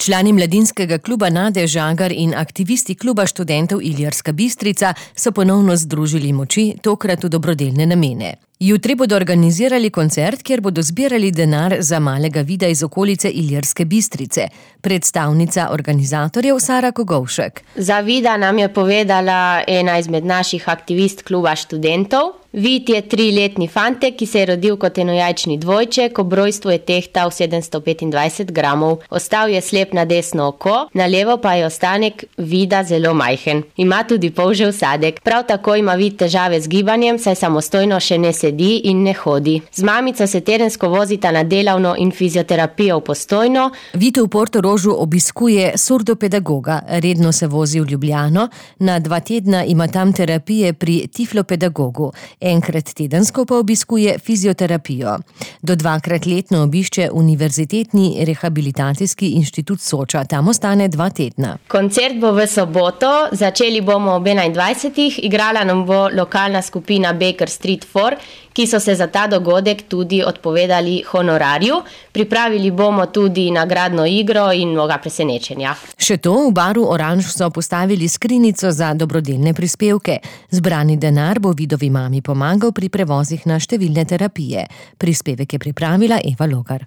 Člani mladinskega kluba Nade Žagar in aktivisti kluba študentov Ilirska Bistrica so ponovno združili moči, tokrat v dobrodelne namene. Jutri bodo organizirali koncert, kjer bodo zbirali denar za malega vida iz okolice Ilirske Bistrice. Predstavnica organizatorjev Sara Kogovšek. Za vida nam je povedala ena izmed naših aktivist kluba študentov. Vid je 3-letni fantek, ki se je rodil kot enojajčni dvojček, ob rojstvu je tehtal 725 gramov. Ostal je slep na desno oko, na levo pa je ostanek vida zelo majhen. Ima tudi polžev sadek. Prav tako ima vid težave z gibanjem, saj samostojno še ne sedi in ne hodi. Z mamico se tedensko vozita na delavno in fizioterapijo v Postojno. Vid v Portorožu obiskuje surdopedagoga, redno se vozi v Ljubljano, na 2 tedna ima tam terapije pri tiflopedagogu. Enkrat tedensko pa obiskuje fizioterapijo. Do 2-krat letno obišče Univerzitetni rehabilitacijski inštitut Soča, tam ostane 2 tedna. Koncert bo v soboto, začeli bomo ob 21. Igrala nam bo lokalna skupina Baker Street 4, ki so se za ta dogodek tudi odpovedali honorarju. Pripravili bomo tudi nagradno igro in mnoga presenečenja. Še to, v baru Oranž so postavili skrinjico za dobrodelne prispevke. Zbrani denar bo vidovi mami pomagal pri prevozih na številne terapije. Prispevek je pripravila Eva Logar.